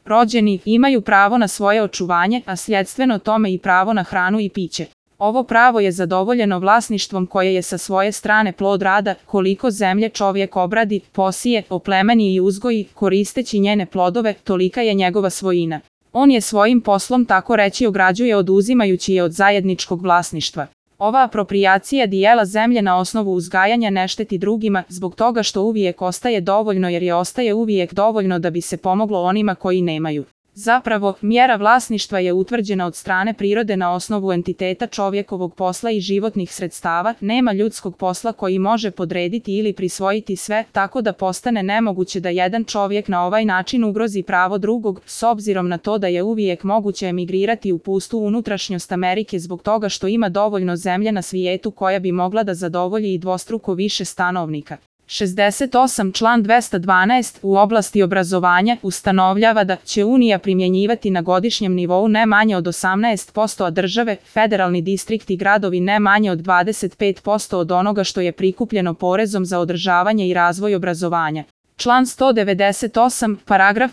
rođeni, imaju pravo na svoje očuvanje, a sljedstveno tome i pravo na hranu i piće. Ovo pravo je zadovoljeno vlasništvom koje je sa svoje strane plod rada, koliko zemlje čovjek obradi, posije, oplemeni i uzgoji, koristeći njene plodove, tolika je njegova svojina. On je svojim poslom tako reći ograđuje oduzimajući je od zajedničkog vlasništva. Ova aproprijacija dijela zemlje na osnovu uzgajanja ne šteti drugima, zbog toga što uvijek ostaje dovoljno jer je ostaje uvijek dovoljno da bi se pomoglo onima koji nemaju. Zapravo, mjera vlasništva je utvrđena od strane prirode na osnovu entiteta čovjekovog posla i životnih sredstava, nema ljudskog posla koji može podrediti ili prisvojiti sve, tako da postane nemoguće da jedan čovjek na ovaj način ugrozi pravo drugog, s obzirom na to da je uvijek moguće emigrirati u pustu unutrašnjost Amerike zbog toga što ima dovoljno zemlje na svijetu koja bi mogla da zadovolji i dvostruko više stanovnika. 68. Član 212 u oblasti obrazovanja ustanovljava da će Unija primjenjivati na godišnjem nivou ne manje od 18%, a države, federalni distrikti i gradovi ne manje od 25% od onoga što je prikupljeno porezom za održavanje i razvoj obrazovanja. Član 198,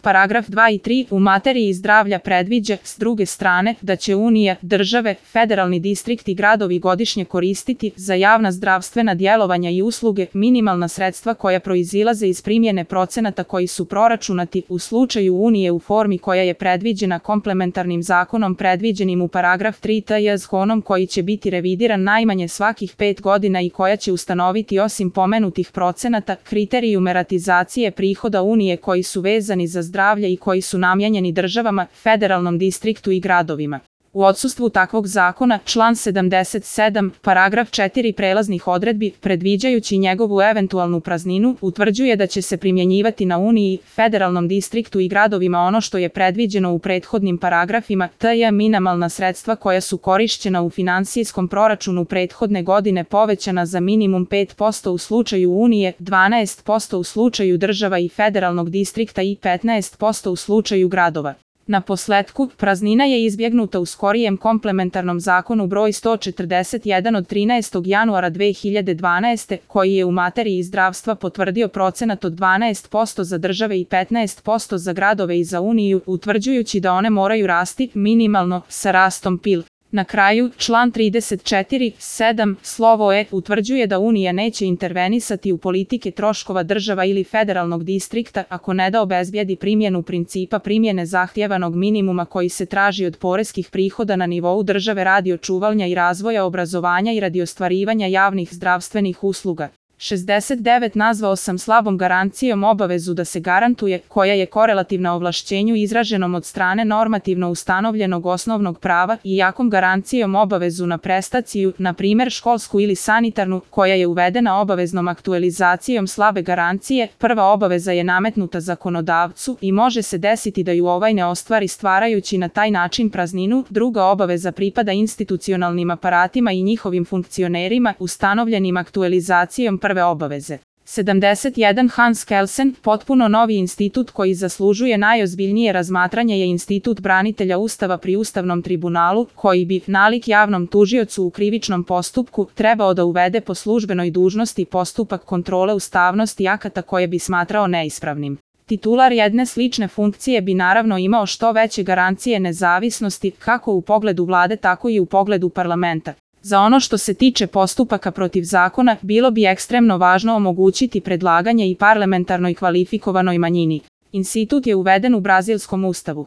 paragraf 2 i 3 u materiji zdravlja predviđa, s druge strane, da će Unija, države, federalni distrikti i gradovi godišnje koristiti za javna zdravstvena djelovanja i usluge minimalna sredstva koja proizilaze iz primjene procenata koji su proračunati u slučaju Unije u formi koja je predviđena komplementarnim zakonom predviđenim u paragraf 3 tj. zakonom koji će biti revidiran najmanje svakih 5 godina i koja će ustanoviti osim pomenutih procenata kriterijum meratizacije prihoda Unije koji su vezani za zdravlje i koji su namijenjeni državama, federalnom distriktu i gradovima. U odsustvu takvog zakona, član 77, paragraf 4 prelaznih odredbi, predviđajući njegovu eventualnu prazninu, utvrđuje da će se primjenjivati na Uniji, federalnom distriktu i gradovima ono što je predviđeno u prethodnim paragrafima, tj. minimalna sredstva koja su korišćena u finansijskom proračunu prethodne godine povećana za minimum 5% u slučaju Unije, 12% u slučaju država i federalnog distrikta i 15% u slučaju gradova. Na posletku, praznina je izbjegnuta u skorijem komplementarnom zakonu broj 141 od 13. januara 2012. koji je u materiji zdravstva potvrdio procenat od 12% za države i 15% za gradove i za Uniju, utvrđujući da one moraju rasti minimalno sa rastom PIL. Na kraju, član 34.7 slovo E utvrđuje da Unija neće intervenisati u politike troškova država ili federalnog distrikta ako ne da obezbijedi primjenu principa primjene zahtjevanog minimuma koji se traži od poreskih prihoda na nivou države radi očuvanja i razvoja obrazovanja i radi ostvarivanja javnih zdravstvenih usluga. 69. Nazvao sam slabom garancijom obavezu da se garantuje, koja je korelativna ovlašćenju izraženom od strane normativno ustanovljenog osnovnog prava i jakom garancijom obavezu na prestaciju, na primjer školsku ili sanitarnu, koja je uvedena obaveznom aktualizacijom slabe garancije. Prva obaveza je nametnuta zakonodavcu i može se desiti da ju ovaj ne ostvari stvarajući na taj način prazninu. Druga obaveza pripada institucionalnim aparatima i njihovim funkcionerima ustanovljenim aktualizacijom prve obaveze. 71. Hans Kelsen, potpuno novi institut koji zaslužuje najozbiljnije razmatranje je institut branitelja Ustava pri Ustavnom tribunalu, koji bi, nalik javnom tužiocu u krivičnom postupku, trebao da uvede po službenoj dužnosti postupak kontrole ustavnosti akata koje bi smatrao neispravnim. Titular jedne slične funkcije bi naravno imao što veće garancije nezavisnosti, kako u pogledu vlade tako i u pogledu parlamenta. Za ono što se tiče postupaka protiv zakona, bilo bi ekstremno važno omogućiti predlaganje i parlamentarnoj kvalifikovanoj manjini. Institut je uveden u brazilskom ustavu.